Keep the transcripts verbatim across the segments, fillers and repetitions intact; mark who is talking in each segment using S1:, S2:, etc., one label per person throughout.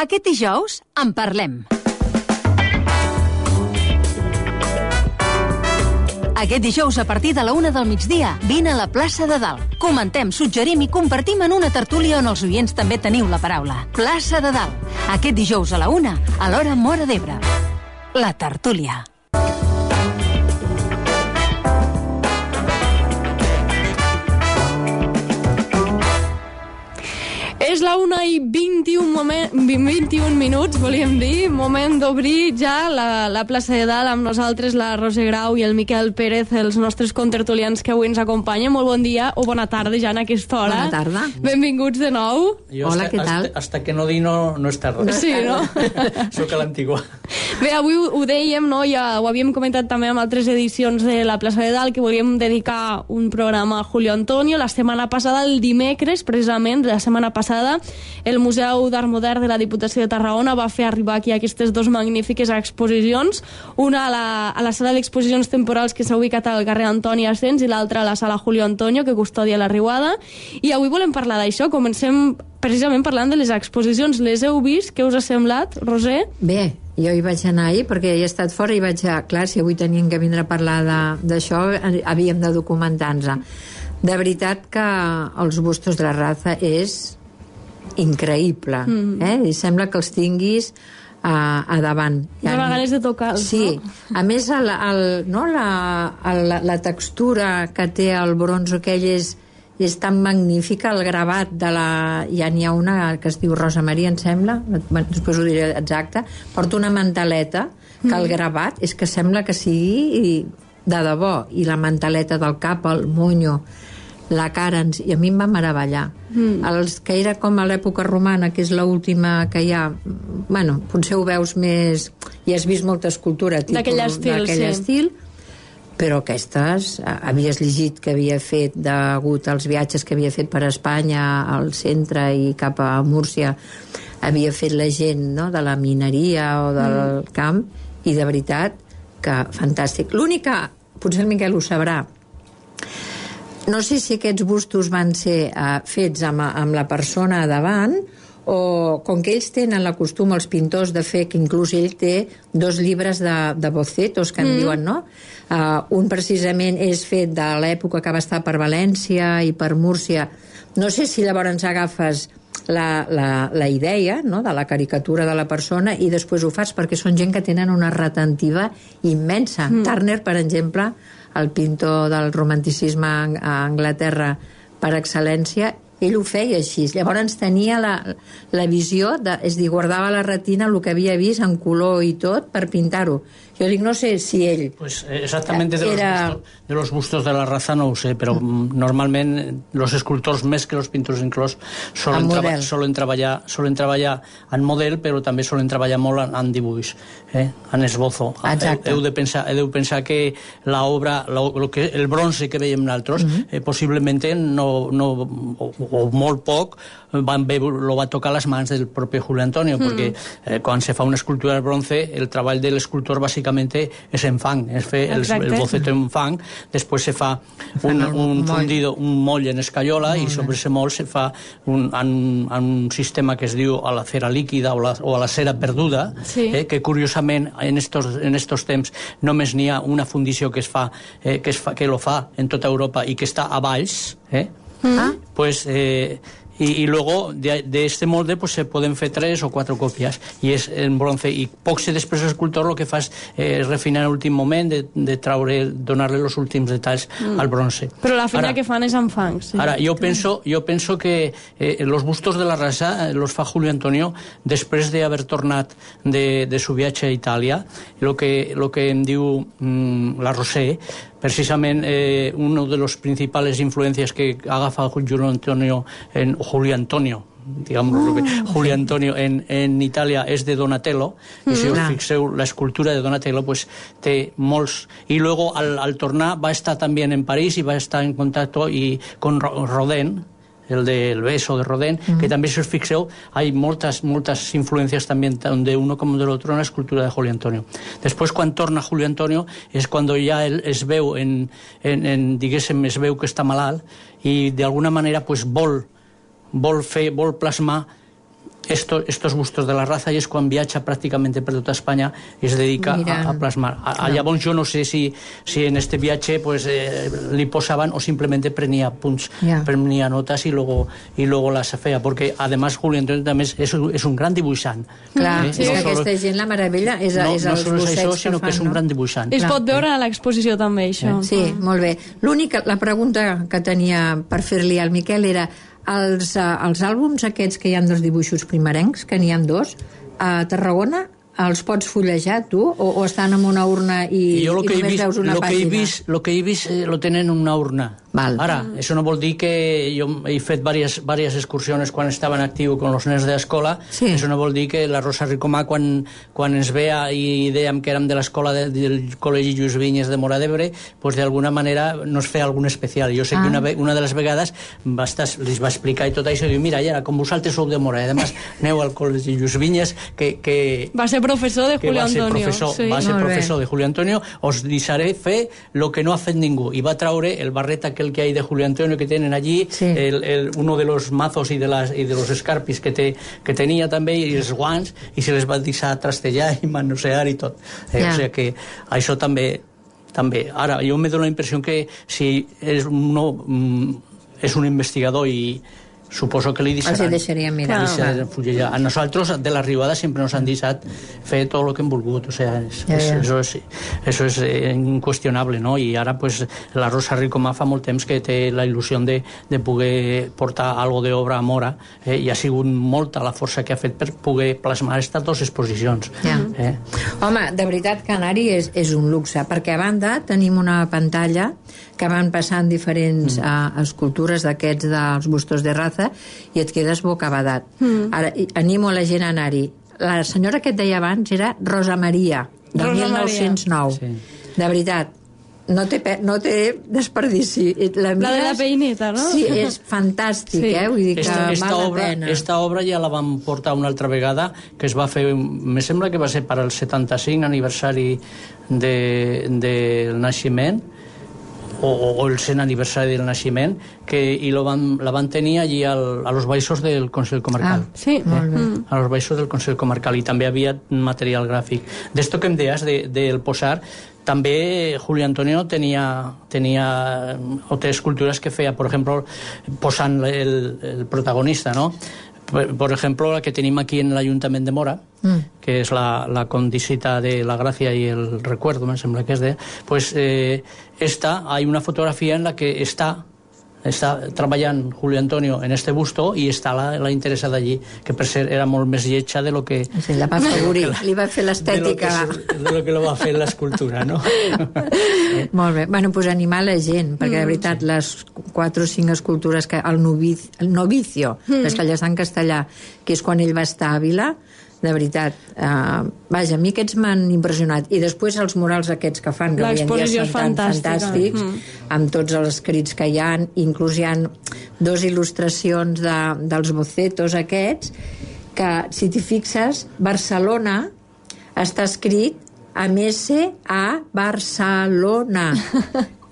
S1: Aquest dijous en parlem. Aquest dijous, a partir de la una del migdia, vine a la plaça de Dalt. Comentem, suggerim i compartim en una tertúlia on els oients també teniu la paraula. Plaça de Dalt. Aquest dijous a la una, a l'hora Móra d'Ebre. La tertúlia.
S2: És la una i vint-i-un, moment, vint-i-un minuts, volíem dir, moment d'obrir ja la, la plaça de Dalt amb nosaltres, la Roser Grau i el Miquel Pérez, els nostres contertulians que avui ens acompanyen. Molt bon dia o bona tarda ja en aquesta hora.
S3: Bona tarda.
S2: Benvinguts de nou.
S4: Jo
S3: Hola,
S4: hasta,
S3: què tal?
S4: Hasta, hasta que no di no, no és tarda.
S2: Sí, no?
S4: Soc a l'antigua.
S2: Bé, avui ho dèiem, no? Ja ho havíem comentat també amb altres edicions de la plaça de Dalt, que volíem dedicar un programa a Julio Antonio. La setmana passada, el dimecres, precisament, la setmana passada, el Museu d'Art Modern de la Diputació de Tarragona va fer arribar aquí aquestes dues magnífiques exposicions, una a la, a la sala d'exposicions temporals que s'ha ubicat al carrer Antoni Ascens i l'altra a la sala Julio Antonio, que custodia la Riuada. I avui volem parlar d'això. Comencem precisament parlant de les exposicions. Les heu vist? Què us ha semblat, Roser?
S3: Bé, jo hi vaig anar ahir perquè he estat fora i vaig a... Clar, si avui teníem que vindre a parlar d'això, havíem de documentar-nos. De veritat que els bustos de la Raza és increïble, mm. eh? I sembla que els tinguis a, a davant.
S2: Dóna ganes de tocar-los,
S3: sí.
S2: No?
S3: A més, el, el, no, la, el, la textura que té el bronze aquell és, és tan magnífica, el gravat de la... Ja n'hi ha una que es diu Rosa Maria, em sembla, després ho diré exacte, porta una manteleta que el gravat és que sembla que sigui de debò, i la manteleta del cap, el monyo, la cara, i a mi em va meravellar. Mm. Els que era com a l'època romana, que és l'última que hi ha, bueno, potser ho veus més, i has vist molta escultura
S2: d'aquell estil, sí.
S3: estil, però aquestes, havies llegit que havia fet degut als viatges que havia fet per Espanya, al centre i cap a Múrcia, havia fet la gent, no?, de la mineria o del mm. camp, i de veritat que fantàstic. L'únic que, potser el Miquel ho sabrà, no sé si aquests bustos van ser uh, fets amb, amb la persona davant, o com que ells tenen la costum, els pintors, de fer, que inclús ell té dos llibres de, de bocetos, que en mm. diuen, no? Uh, un precisament és fet de l'època que va estar per València i per Múrcia. No sé si llavors agafes la, la, la idea, no?, de la caricatura de la persona i després ho fas, perquè són gent que tenen una retentiva immensa. Mm. Turner, per exemple, el pintor del romanticisme a Anglaterra per excel·lència, ell ho feia així. Llavors tenia la, la visió, de, és dir, guardava la retina el que havia vist en color i tot per pintar-ho. Jo dic, no sé si ell...
S4: Pues exactamente de,
S3: era...
S4: los bustos, de los bustos de la Raza no ho sé, però mm. normalment els escultors, més que els pintors inclòs, solen, traba, solen, treballar, solen treballar en model, però també solen treballar molt en, en dibuix, eh? en esbozo.
S3: Exacte.
S4: Heu, heu, de pensar, heu de pensar que l'obra, el bronze que veiem nosaltres, mm-hmm. eh, possiblement no, no, o, o molt poc, van ver, lo va tocar les mans del propi Julio Antonio, mm. perquè eh, quan se fa una escultura de bronze, el treball de l'escultor bàsicament és en fang, es fer el, el boceto en fang, després se fa un, un fundido, un moll en escaiola, i sobre ese moll se fa un, en, en un sistema que es diu a la cera líquida o, la, o a la cera perduda, sí. eh, que curiosament en estos, en estos temps només n'hi ha una fundició que es fa, eh, que, es fa, que lo fa en tota Europa i que està a Valls, eh? Mm. Pues... Eh, Y, y luego de, de este molde pues se pueden fer tres o cuatro copias y és en bronce, i poc se després l'escultor el que fa és eh, refinar en l'últim moment de, de traure, donar-li els últims detalls mm. al bronze.
S2: Però la feina que fan és en fang, sí.
S4: Ara, jo penso, jo penso que eh, los bustos de la Raza eh, los fa Julio Antonio després d'haver tornat de, de su viatge a Itàlia. Lo que, lo que em diu mm, la Roser, precisament eh, una de les principals influències que agafa Julio Antonio en Julio Antonio digamos, oh, Julio Antonio en, en Itàlia és de Donatello, mm, i si us fixeu l'escultura de Donatello pues té molts, i luego al, al tornar va estar també en París i va estar en contacto i con Rodin, el del beso de Rodin, mm. que també, si us fixeu, hay moltes, moltes influències també de uno com de l'altre en la escultura de Julio Antonio. Després, quan torna Julio Antonio, és quan ja ell es veu, en, en, en, diguéssim, es veu que està malalt, i d'alguna manera pues, vol, vol fer, vol plasmar Esto, estos bustos de la raza, i és quan viatja pràcticament per tota Espanya i es dedica a, a plasmar. A, a, llavors jo no sé si, si en este viatge pues, eh, li posaban o simplemente prenia punts, yeah. prenia notas y luego, y luego las feia, porque además Julio Antonio també és, és, és un gran dibuixant.
S3: Clar,
S4: eh?
S3: sí,
S4: no
S3: aquesta
S4: solo,
S3: gent la meravella és,
S4: no,
S3: és
S4: no
S3: els
S4: sols
S3: bossets
S4: això,
S3: que
S4: sinó
S3: fan,
S4: que és un
S3: no?
S4: gran dibuixant.
S2: Es pot veure a l'exposició també, això.
S3: Eh? Sí, molt bé. L'única, la pregunta que tenia per fer-li al Miquel era els, uh, els àlbums aquests que hi ha dels dibuixos primerencs, que n'hi ha dos, a Tarragona els pots fullejar tu o, o estan en una urna i, i
S4: jo lo que
S3: només
S4: he vist,
S3: veus una
S4: lo
S3: pàgina?
S4: Que he vist, lo que he vist eh, lo tenen en una urna.
S3: Val.
S4: Ara, això no vol dir que jo he fet diverses, diverses excursiones quan estava en actiu con els nens de l'escola,
S3: sí.
S4: Això no vol dir que la Rosa Ricomà quan, quan ens veia i dèiem que érem de l'escola de, del Col·legi Lluís Vinyes de Móra d'Ebre, pues d'alguna manera nos feia algun especial. Jo sé ah. que una, una de les vegades va estar, les va explicar i tot això, i diu, mira, ja, com vosaltres sou de Móra, i además aneu al Col·legi Lluís Vinyes, que, que...
S2: Va ser professor de Julio Antonio.
S4: Professor, sí. Va ser professor de Julio Antonio, os deixaré fer lo que no ha fet ningú. I va traure el barret aquel que hay de Julio Antonio que tienen allí, sí. el, el, uno de los mazos y de, las, y de los escarpis que, te, que tenia també, i els guants, i se les va deixar trastellar i manosear i tot. Eh, yeah. O sigui que això també, també. Ara, jo me dono la impressió que si és, uno, és un investigador i suposo que li deixaran.
S3: Els deixaria mirar.
S4: A nosaltres, de la Ribada, sempre nos han deixat fer tot el que hem volgut. O sea, es, ja, ja. Eso es, eso es eh, incuestionable, no? I ara, pues, la Rosa Ricomà fa molt temps que té la il·lusió de, de poder portar algo d'obra a Móra, eh, i ha sigut molta la força que ha fet per poder plasmar aquestes dues exposicions.
S3: Ja.
S4: Eh?
S3: Home, de veritat, Canari és, és un luxe, perquè a banda tenim una pantalla que van passant diferents mm. uh, escultures d'aquests dels bustos de raza i et quedes bocabadat. Mm. Ara, animo la gent a anar-hi. La senyora que et deia abans era Rosa Maria, de
S2: Rosa
S3: mil nou-cents nou.
S4: Sí.
S3: De veritat, no té, no té desperdici. La,
S2: la de la peineta, no?
S3: Sí, és fantàstic, sí. eh? Vull dir que
S4: esta, esta
S3: val
S4: obra,
S3: la pena.
S4: Esta obra ja la vam portar una altra vegada, que es va fer, me sembla que va ser per al setanta-cinc aniversari del de, de naixement, o, o el cent aniversari del naixement, que, i lo van, la van tenir allí al, a los baixos del Consell Comarcal.
S3: Ah, sí, eh? Molt bé.
S4: A los baixos del Consell Comarcal, i també havia material gràfic. D'esto que em deies, de, del posar, també Julio Antonio tenia, tenia otras esculturas que feia, por ejemplo, posant el, el protagonista, ¿no? Por ejemplo, la que tenim aquí en l'Ajuntament de Móra, mm. que és la, la condisita de la Gracia y el Recuerdo, me sembla que és de... Pues eh, esta, hay una fotografía en la que está està treballant Julio Antonio en este busto i està la, la interessada allí, que per ser era molt més lletja de lo que...
S3: Sí, la va afavorir, li va fer l'estètica.
S4: De, de lo que lo va fer l'escultura, no?
S3: Molt bé. Bueno, pues animar la gent, perquè de veritat, sí. Les quatre o cinc escultures que... El, novic, el novicio, mm. les que allà està en castellà, que és quan ell va estar a Àvila, de veritat, uh, vaja, a mi aquests m'han impressionat, i després els murals aquests que fan, que avui en dia són tan fantàstics, mm. amb tots els escrits que hi ha, inclús hi ha dos il·lustracions de, dels bocetos aquests, que si t'hi fixes, Barcelona està escrit amb S a Barcelona.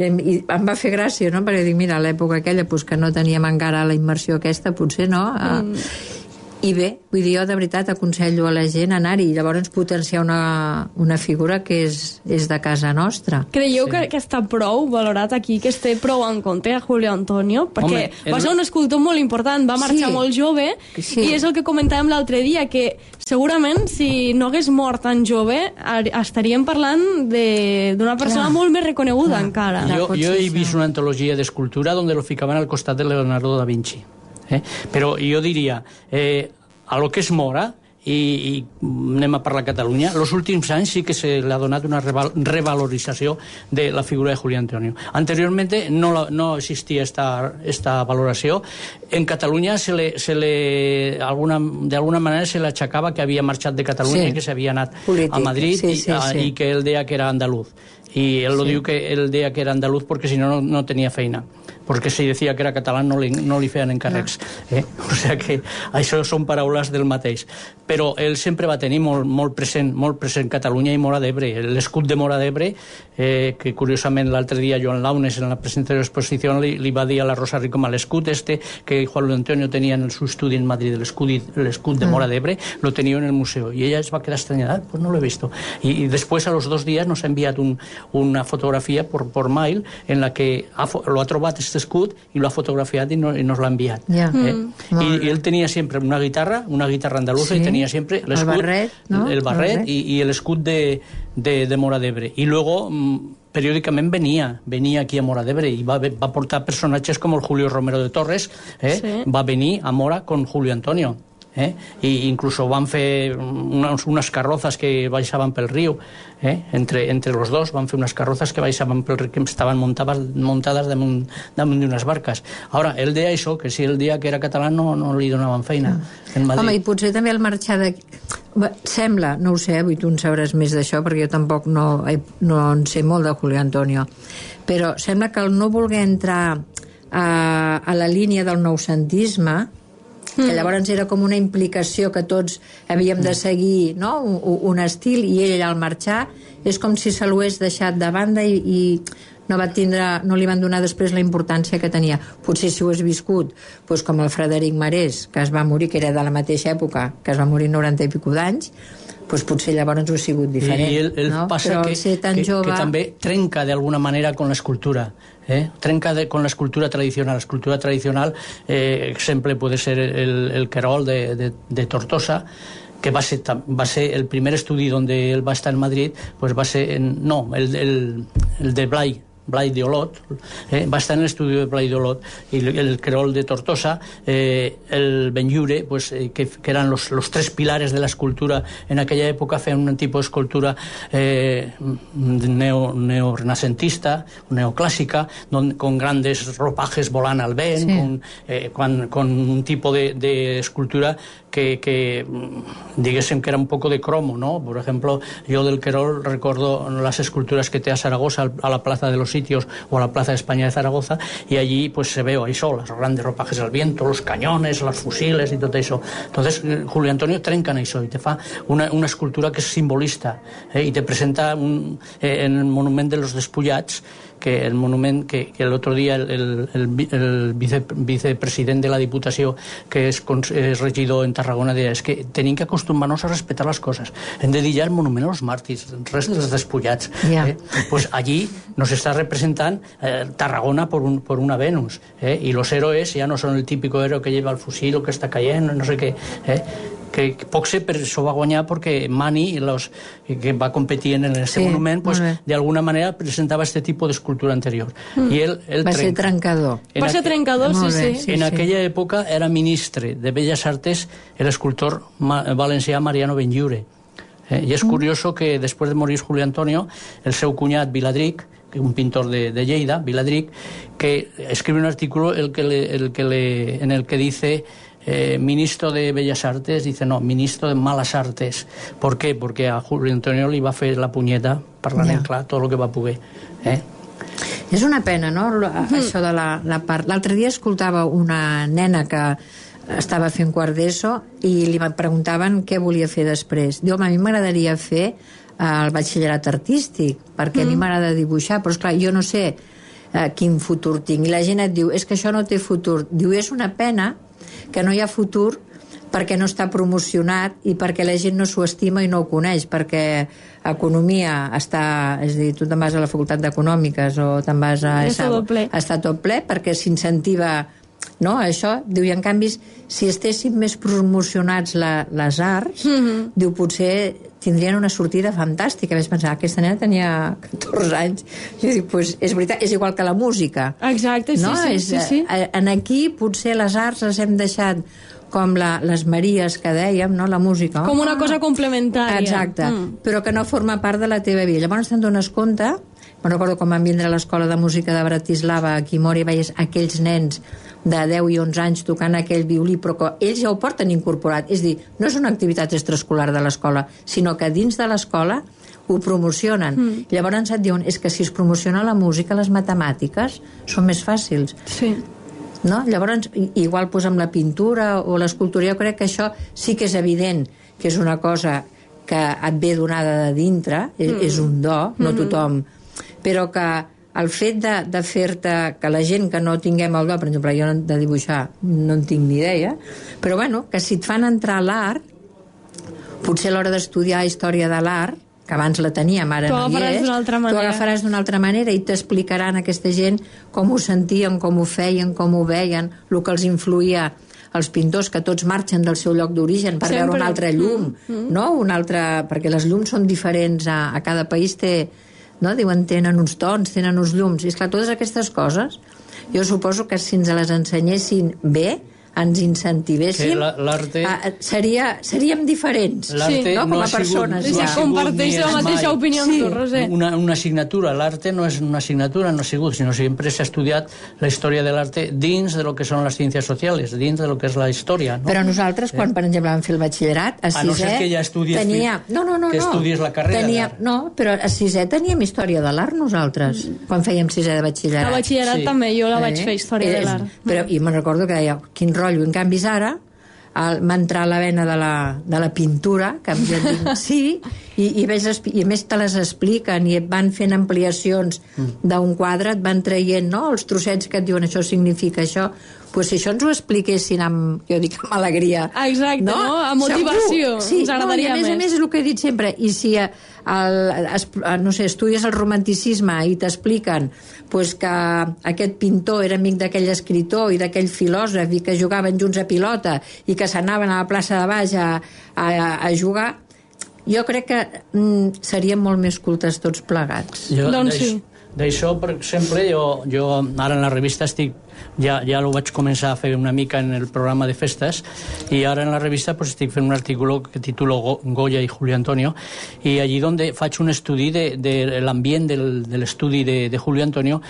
S3: I em va fer gràcia, no? Perquè dic, mira, a l'època aquella, pues, que no teníem encara la immersió aquesta, potser no, mm. I bé, vull dir, jo de veritat aconsello a la gent anar-hi i llavors potenciar una, una figura que és, és de casa nostra.
S2: Creieu
S4: sí.
S2: que, que està prou valorat aquí, que esté prou en compte a Julio Antonio? Perquè Home, el... va ser un escultor molt important, va marxar sí. molt jove, sí. i és el que comentàvem l'altre dia, que segurament si no hagués mort tan jove estaríem parlant d'una persona Clar. molt més reconeguda Clar. encara.
S4: Jo, jo he vist una antologia d'escultura on lo ficaven al costat de Leonardo da Vinci. Eh? Però jo diria, eh, a lo que és Móra, i, i anem a parlar a Catalunya, els últims anys sí que se li ha donat una reval revalorització de la figura de Julio Antonio. Anteriorment no, la, no existia esta, esta valoració. En Catalunya se le, se le, alguna, de alguna manera se le achacava que havia marxat de Catalunya sí. i que s'havia anat Polític. a Madrid sí, sí, i, a, sí. i que ell deia que era andalús. y él lo
S3: Sí.
S4: diu que él deia que era andaluz porque si no, no tenía feina, porque si decía que era català no li, no li feien encàrrecs. No. Eh? O sigui que això són paraules del mateix. Però ell sempre va tenir molt, molt, present, molt present Catalunya i Móra d'Ebre. L'escut de Móra d'Ebre, eh, que curiosament l'altre dia Joan Launes en la presentació de l'exposició li, li va dir a la Rosa Rico l'escut este que Juan Luis Antonio tenia en el seu estudi en Madrid, l'escut de Móra d'Ebre, lo tenia en el museu. I ella es va quedar estranyada, pues no lo he visto. Y, y después a los dos días nos ha enviado un, una fotografía por, por mail en la que ha, lo ha trobat este escut i lo ha fotografiat i, no, i nos l'ha enviat.
S3: Ja.
S4: Eh?
S3: Mm.
S4: I, I ell tenia sempre una guitarra, una guitarra andaluza, sí. I tenia sempre l'escut,
S3: el barret, no?
S4: el barret, el barret. I, i l'escut de, de, de Móra d'Ebre. I luego periòdicament venia, venia aquí a Móra d'Ebre i va, va portar personatges com el Julio Romero de Torres, eh? Sí. Va venir a Móra con Julio Antonio. Eh? I incluso van fer unes, unes carrozas que baixaven pel riu, eh? entre, entre los dos van fer unes carrozas que baixaven pel riu, que estaven muntades, muntades damunt, damunt d'unes barques. Ara, ell deia això, que si el dia que era català no, no li donaven feina en Madrid.
S3: Home, i potser també el marxar de... Sembla, no ho sé, avui tu en sabràs més d'això, perquè jo tampoc no, no en sé molt de Julio Antonio, però sembla que el no voler entrar a, a la línia del noucentisme, que llavors era com una implicació que tots havíem de seguir, no? un, un estil, i ell al marxar és com si se l'ho hagués deixat de banda i, i no, va tindre, no li van donar després la importància que tenia. Potser si ho has viscut, doncs com el Frederic Marès, que es va morir, que era de la mateixa època, que es va morir noranta i pico d'anys, doncs potser llavors ho ha sigut diferent.
S4: I ell, ell
S3: no?
S4: passa
S3: Però
S4: que,
S3: ser tan
S4: que,
S3: jove...
S4: que també trenca d'alguna manera con l'escultura. ¿Eh? Trenca de, con la escultura tradicional. La escultura tradicional, eh, exemple, puede ser el, el Querol de, de, de Tortosa, que va ser, va ser el primer estudi donde él va estar en Madrid, pues va ser en, no, el, el, el de Blay, Blay de Olot, eh, va estar en el estudio de Blay de Olot, y el, el Querol de Tortosa, eh, el Benlliure, pues, eh, que, que eran los, los tres pilares de la escultura en aquella época, feien un tipo de escultura eh, neo, neorrenacentista, neoclásica, donde, con grandes ropajes volant al vent, sí. con, eh, con, con un tipo de, de escultura que, que diguéssim que era un poco de cromo, ¿no? Por ejemplo, yo del Querol recuerdo las esculturas que te a Zaragoza, a la Plaza de los Sitios o a la Plaza de España de Zaragoza, y allí pues se veo ahí solas, los grandes ropajes al viento, los cañones, los fusiles y todo eso. Entonces Julio Antonio trenca en eso y te fa una, una escultura que es simbolista, eh? Y te presenta un, eh, en el monument de los Despullats, que el monument que, que el otro día el, el, el, el vice, vicepresident de la Diputació, que és, és regidor en Tarragona, deia, és que tenim que acostumar-nos a respetar les coses. Hem de dir ja el monument als màrtirs, res dels despullats.
S3: Yeah.
S4: Eh? Pues allí nos está representando eh, Tarragona por, un, por una Venus. Eh? Y los héroes ya no son el típico héroe que lleva el fusil o que está cayendo, no sé qué. Eh? que poc sé, però això va guanyar perquè Mani, los, que va competir en este
S3: sí,
S4: monument, pues, de alguna manera presentava este tipo de escultura anterior.
S3: Mm.
S4: I ell, ell
S3: va
S4: trenca.
S3: ser trencador.
S2: En va ser trencador, sí,
S3: bé,
S2: sí.
S3: sí.
S4: En
S3: sí.
S4: aquella època era ministre de Belles Artes el escultor valencià Mariano Benlliure. Eh? I és
S3: Mm.
S4: curioso que després de morir Julio Antonio, el seu cunyat Viladric, un pintor de, de Lleida, Viladric, que escribe un artículo el que le, el que le, en el que dice eh, ministro de Bellas Artes, dice no, ministro de Malas Artes. ¿Por qué? Porque a Julio Antonio li va fer la punyeta, parlant en clar, tot el que va poder. Eh?
S3: És una pena, no?, això de la, la part... L'altre dia escoltava una nena que estava fent quart d'ESO i li preguntaven què volia fer després. Diu, home, a mi m'agradaria fer el batxillerat artístic, perquè mm. a mi m'agrada dibuixar, però esclar, jo no sé eh, quin futur tinc. I la gent et diu, és que això no té futur. Diu, és una pena que no hi ha futur perquè no està promocionat i perquè la gent no s'ho estima i no ho coneix, perquè economia està... És a dir, tu te'n vas a la facultat d'Econòmiques o te'n vas a...
S2: Està tot ple.
S3: Està tot ple perquè s'incentiva... No, això, diu, i en canvi si estessin més promocionats la, les arts, mm-hmm. diu, potser tindrien una sortida fantàstica. Vaig pensar, aquesta nena tenia catorze anys. Jo dic, pues, és veritat, és igual que la música.
S2: Exacte, sí,
S3: no?
S2: sí,
S3: és,
S2: sí, sí.
S3: En aquí potser les arts les hem deixat com la, les Maries que dèiem, no? La música.
S2: Com una cosa complementària.
S3: Exacte,
S2: mm.
S3: però que no forma part de la teva vida. Llavors te'n dones compte, me'n recordo quan vam vindre a l'Escola de Música de Bratislava a Quimori, veies aquells nens de deu i onze anys tocant aquell violí, però que ells ja ho porten incorporat. És a dir, no és una activitat extraescolar de l'escola, sinó que dins de l'escola ho promocionen. Mm. Llavors et diuen, és que si es promociona la música, les matemàtiques són més fàcils.
S2: Sí.
S3: No? Llavors, igual pues, amb la pintura o l'escultura, jo crec que això sí que és evident que és una cosa que et ve donada de dintre, és, mm. és un do, no tothom, però que el fet de, de fer-te, que la gent que no tinguem el do, per exemple, jo de dibuixar no en tinc ni idea, però bueno, que si et fan entrar a l'art, potser a l'hora d'estudiar història de l'art, que abans la teníem, ara no hi és, tu agafaràs d'una altra manera i t'explicaran aquesta gent com ho sentien, com ho feien, com ho veien, el que els influïa els pintors, que tots marxen del seu lloc d'origen per Sempre. veure una altra llum, mm -hmm. no? Una altra, perquè les llums són diferents, a, a cada país té, no? Diuen, tenen uns tons, tenen uns llums, i esclar, totes aquestes coses, jo suposo que si ens les ensenyessin bé, ens incentivéssim,
S4: l'arte...
S3: seria, seríem diferents,
S4: sí,
S3: no? Com
S4: no
S3: a persones.
S2: Sí,
S3: Ja.
S2: comparteix la mateixa opinió amb
S3: sí.
S2: tu, Roser.
S4: Una, una asignatura, l'arte no és una assignatura, no ha sigut, sinó sempre s'ha estudiat la història de l'arte dins de lo que són les ciències socials, dins de lo que és la història. No?
S3: Però nosaltres, quan, per exemple, vam fer el batxillerat, a sisè...
S4: A no ser que ja estudies,
S3: tenia... no, no, no,
S4: que estudies la carrera
S3: tenia... No, però a sisè teníem història de l'art nosaltres, quan fèiem sisè de batxillerat.
S2: A batxillerat sí. també, jo la vaig
S3: eh?
S2: fer, història
S3: eh,
S2: de l'art.
S3: Però, I me'n recordo que deia, quin rotllo, en canvi ara m'ha entrat la vena de la, de la pintura, que em dic, sí, i, i, ves, i a més te les expliquen i et van fent ampliacions d'un quadre, et van traient, no?, els trossets que et diuen això significa això. Pues si això ens ho expliquessin amb, jo dic, amb alegria.
S2: Ah, exacte, no? no? Amb motivació.
S3: Sí,
S2: ens agradaria
S3: no, i a més
S2: més.
S3: a més és el que he dit sempre, i si el, el, no sé, estudies el romanticisme i t'expliquen pues, que aquest pintor era amic d'aquell escritor i d'aquell filòsof i que jugaven junts a pilota i que s'anaven a la plaça de baix a, a, a jugar, jo crec que mm, seríem molt més cultes tots plegats.
S4: Jo,
S2: doncs sí.
S4: D'això, per exemple, jo, jo ara en la revista estic, ja, ja ho vaig començar a fer una mica en el programa de festes, i ara en la revista pues, estic fent un artículo que titulo Go Goya y Julio Antonio, i allí donde faig un estudi de, de l'ambient del, de l'estudi de, de Julio Antonio,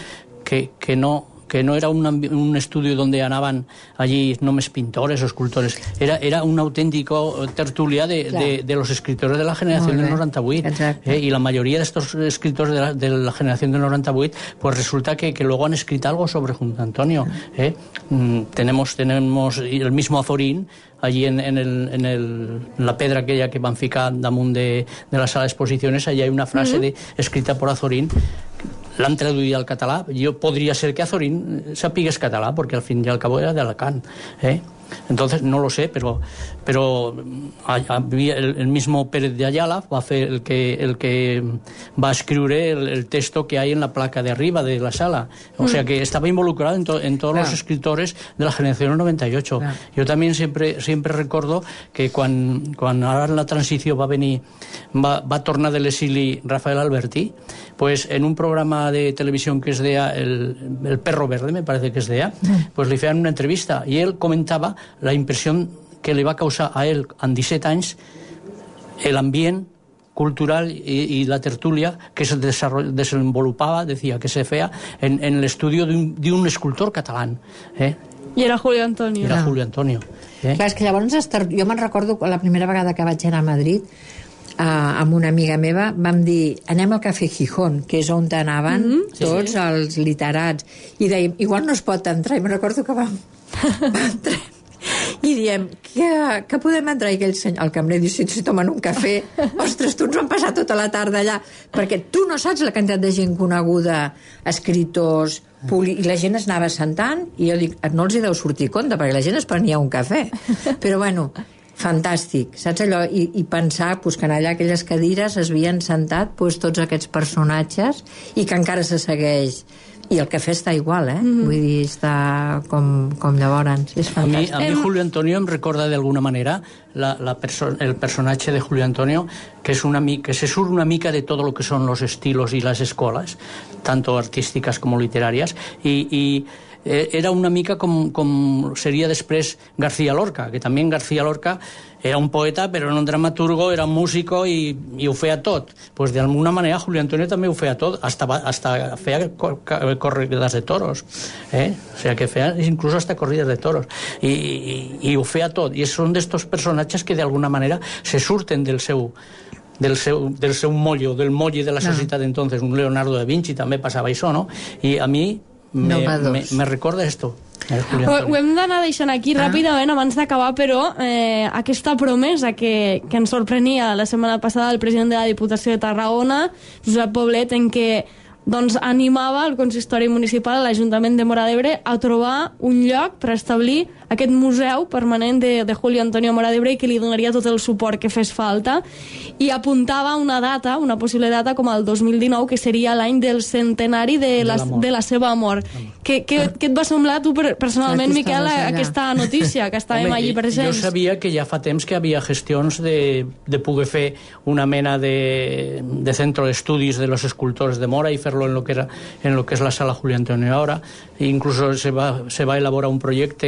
S4: que, que no... que no era un, un estudio donde anaban allí només pintores o escultores, era, era un auténtico tertulia de, de, de los escritores de la generación del noranta-vuit, eh, y la mayoría de estos escritores de la, de la generación del noranta-vuit, pues resulta que, que luego han escrito algo sobre Julio Antonio. Eh. Mm, tenemos, tenemos el mismo Azorín, allí en, en, el, en, el, en la pedra aquella que van ficar damunt de, de la sala d'exposiciones, allí hay una frase mm-hmm. de, escrita por Azorín, l'han traduït al català. Jo podria ser que Azorín sapigués català, perquè al fin i al cabo era d'Alacant, eh? Entonces no lo sé, pero pero había el, el mismo Pérez de Ayala va a hacer el que el que va a escribir el, el texto que hay en la placa de arriba de la sala, o mm. sea que estaba involucrado en, to, en todos claro. los escritores de la generación noventa y ocho. Claro. Yo también siempre siempre recuerdo que quan, quan ara en la transició va venir va, va tornar de l'exili Rafael Alberti, pues en un programa de televisión que es de el, el Perro Verde, me parece que es de mm. pues le hicieron una entrevista y él comentaba la impresión que le va a causar a él en disset anys el ambient cultural y, y la tertulia que se desenvolupaba, decía, que se feia en, en el estudio de un, de un escultor catalán. Eh?
S2: I era Julio Antonio.
S4: Era Julio Antonio. Eh?
S3: Clar, és que llavors jo me'n recordo la primera vegada que vaig anar a Madrid Uh, amb una amiga meva, vam dir anem al Cafè Gijón, que és on anaven mm -hmm. tots sí, sí. els literats, i dèiem, igual no es pot entrar, i me'n recordo que vam, vam entrar i diem, que, que podem entrar? I aquell senyor, el cambrer diu, si, si tomen un cafè, ostres, tu ens vam passar tota la tarda allà, perquè tu no saps la quantitat de gent coneguda, escriptors, poli... i la gent es anava sentant, i jo dic, no els hi deu sortir compte, perquè la gent es prenia un cafè, però bueno, fantàstic, saps allò? I, i pensar pues, que en allà aquelles cadires es havien sentat pues, tots aquests personatges i que encara se segueix. I el cafè està igual, eh? Mm-hmm. Vull dir, està com, com llavors. És fantàstic.
S4: A mi, a mi Julio Antonio em recorda d'alguna manera la, la perso el personatge de Julio Antonio, que, és una mica, que se surt una mica de tot lo que són los estilos i les escoles, tanto artísticas como literàries, i, i era una mica com, com seria després García Lorca, que també García Lorca era un poeta, però no un dramaturgo, era un músico i, i ho feia tot. Pues de alguna manera Julio Antonio també ho feia tot, hasta, hasta feia corridas de toros, eh? O sea, que feia incluso hasta corridas de toros, i, i, i ho feia tot, i són d'estos personatges que de alguna manera se surten del seu del seu, del seu mollo, del molli de la societat d'entonces, un Leonardo da Vinci també passava això, no? I a mi me, me, me recorda esto.
S2: Ho, ho hem d'anar deixant aquí ah. ràpidament abans d'acabar, però eh, aquesta promesa que, que ens sorprenia la setmana passada el president de la Diputació de Tarragona, Josep Poblet, en què doncs, animava el consistori municipal a l'Ajuntament de Móra d'Ebre a trobar un lloc per establir aquest museu permanent de, de Julio Antonio Móra d'Ebre i que li donaria tot el suport que fes falta, i apuntava una data, una possible data com el dos mil dinou, que seria l'any del centenari de la, de la seva mort. Què, què, què et va semblar tu personalment, Miquel, aquesta notícia que estàvem allí presents?
S4: Jo sabia que ja fa temps que havia gestions de, de poder fer una mena de, de centro d'estudis de los escultors de Móra i fer-lo en lo que era en lo que es la sala Julio Antonio ahora. Incluso se va, se va a elaborar un proyecto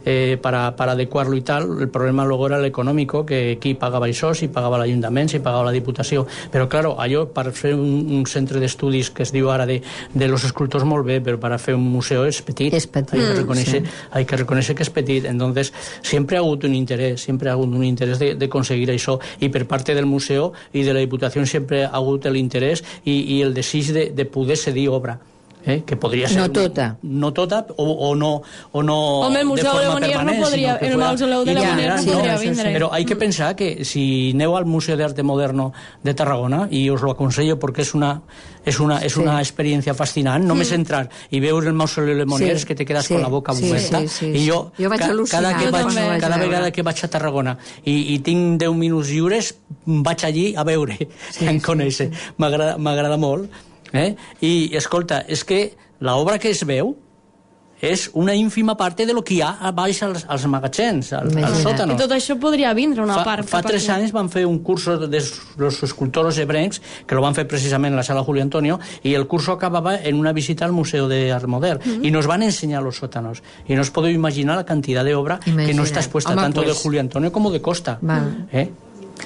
S4: eh, para, para adecuarlo y tal. El problema luego era el económico, que aquí pagaba això, si pagava l'Ajuntament, si pagava la Diputació. Però, claro, allò per fer un, un centre d'estudis que es diu ara de, de los escultors molt bé, però per fer un museu és petit.
S3: És petit.
S4: Hay que reconocer, sí. hay que reconocer que és petit. Entonces, siempre ha hagut un interès, siempre ha hagut un interès de, de conseguir això, i per parte del museu i de la Diputació sempre ha hagut l'interès i, i el desig de, de poder cedir obra. Eh, que podria ser
S3: no tota
S4: no tota o, o no, o no
S2: Home, el Museu de Monier no podria, el Mausoleu de la Monier no podria vindre,
S4: però hay que pensar que si aneu al Museu d'Arte Moderno de Tarragona, i us lo aconsello perquè és una, és una, és una sí. experiència fascinant, només mm. entrar i veure el Mausoleu de Monier sí. és que te quedes sí. con la boca
S3: sí,
S4: oberta
S3: sí, sí, sí.
S4: i jo,
S3: jo vaig
S4: ca, cada, que vaig,
S3: no
S4: cada vegada que vaig a Tarragona i, i tinc deu minuts lliures vaig allí a veure sí, en conèixer, sí. m'agrada molt. Eh? I escolta, és que l'obra que es veu és una ínfima part de lo que hi ha a baix als, als magatzems, als, als sòtanos.
S2: I tot això podria vindre una
S4: fa,
S2: part.
S4: Fa tres anys van fer un curso de los escultors hebrencs, que lo van fer precisament en la sala Julio Antonio, i el curso acabava en una visita al Museu d'Art Modern, mm-hmm. i nos van ensenyar los sótanos. I no os podeu imaginar la cantidad de obra Imagina. que no està expuesta Home, tanto pues... de Julio Antonio como de Costa. Eh?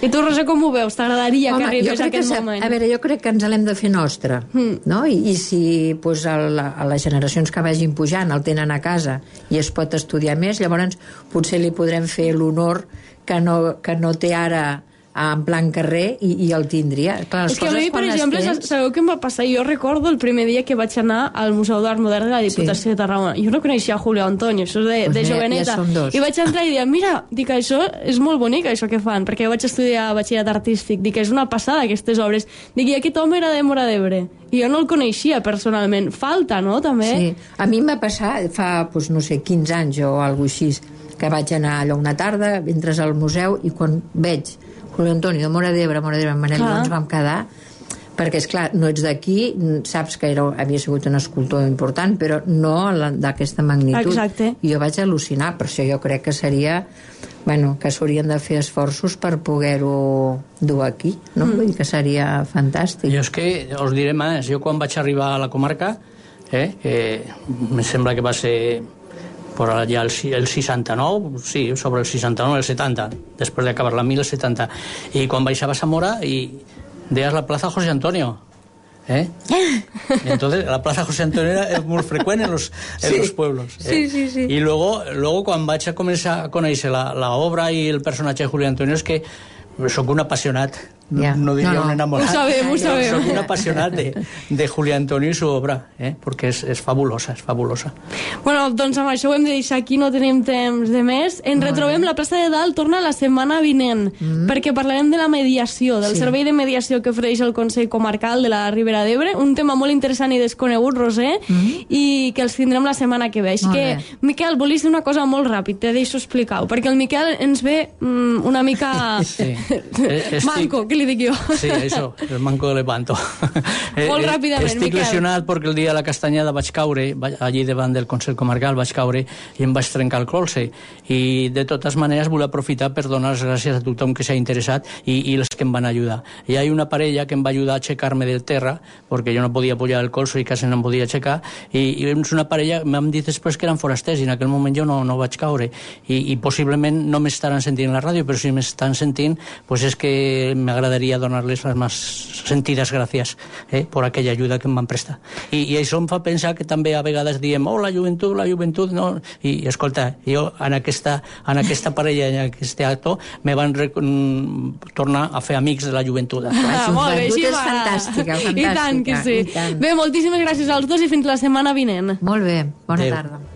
S2: I tu, Roser, com ho veus? T'agradaria que arribés aquest
S3: que,
S2: moment?
S3: A veure, jo crec que ens l'hem de fer nostre, mm. no? I, i si pues, a, la, a les generacions que vagin pujant el tenen a casa i es pot estudiar més, llavors potser li podrem fer l'honor que no, que no té ara en plan carrer i, i el tindria. Clar,
S2: és que a mi, per exemple, tens... sabeu què em va passar? Jo recordo el primer dia que vaig anar al Museu d'Art Modern de la Diputació sí. de Tarragona. Jo no coneixia Julio Antonio, això de, pues de mira, joveneta. Ja I vaig entrar i dir, mira, dic, això és molt bonic, això que fan, perquè jo vaig estudiar batxillerat artístic. Dic, és una passada, aquestes obres. Dic, i aquest home era de Móra d'Ebre. I jo no el coneixia personalment. Falta, no?, també. Sí.
S3: A mi em va passar fa, pues, no sé, quinze anys o alguna cosa així, que vaig anar allò una tarda, entres al museu i quan veig Julio Antonio de Móra d'Ebre, Móra d'Ebre, Manel, ens vam quedar, perquè, és clar, no ets d'aquí, saps que era, havia sigut un escultor important, però no d'aquesta magnitud.
S2: Exacte.
S3: I jo vaig al·lucinar, per això jo crec que seria, bueno, que s'haurien de fer esforços per poder-ho dur aquí, no? Mm. Vull dir que seria fantàstic.
S4: Jo és que, us diré més, jo quan vaig arribar a la comarca, eh, eh, em sembla que va ser... por allá el, el seixanta-nou, sí, sobre el seixanta-nou, el setanta, després d'acabar la mil setanta. I quan baixaves a Móra i deies la plaza José Antonio. ¿Eh? Entonces la plaza José Antonio era muy frecuente en los, en sí. los pueblos. ¿eh?
S2: Sí, sí, sí.
S4: Y luego, luego cuando vaig a començar a conèixer la, la obra i el personatge de Julio Antonio és que soc un apassionat, yeah. no diria no, no. un enamorat.
S2: Ho sabem, ho sabem.
S4: Soc un apassionat de, de Julio Antonio i su obra, eh? perquè és, és fabulosa, és fabulosa.
S2: Bueno, doncs amb això ho hem de deixar aquí, no tenim temps de més. Ens retrobem, la plaça de Dalt torna la setmana vinent, mm. perquè parlarem de la mediació, del sí. servei de mediació que ofereix el Consell Comarcal de la Ribera d'Ebre, un tema molt interessant i desconegut, Roser, mm. i que els tindrem la setmana que ve. Així que, bé. Miquel, volies dir una cosa molt ràpid, te deixo explicar-ho, perquè el Miquel ens ve mm, una mica... Sí. Manco, què li dic jo?
S4: Sí, això, el manco de Lepanto.
S2: Molt ràpidament,
S4: Estic
S2: Miquel.
S4: lesionat perquè el dia de la castanyada vaig caure, allí davant del Consell Comarcal vaig caure i em vaig trencar el colze. I de totes maneres vull aprofitar per donar les gràcies a tothom que s'ha interessat i, i els que em van ajudar. Hi ha una parella que em va ajudar a aixecar-me del terra, perquè jo no podia apoyar el colze i quasi no em podia aixecar, i, i és una parella, m'han dit després que eren forasters i en aquell moment jo no, no vaig caure. I, i possiblement no m'estaran sentint en la ràdio, però si m'estan sentint, pues és que m'agradaria m'agradaria donar-les les més sentides gràcies eh, per aquella ajuda que em van prestar. I, I això em fa pensar que també a vegades diem oh, la joventut, la joventut, no? I, i escolta, jo en aquesta, en aquesta parella, en aquest actor, me van rec... tornar a fer amics de la joventut.
S2: Ah, molt bé, així
S3: és
S2: va.
S3: fantàstica, fantàstica.
S2: I tant que sí.
S3: Tant.
S2: Bé, moltíssimes gràcies als dos i fins la setmana vinent.
S3: Molt bé, bona
S4: Adéu.
S3: tarda.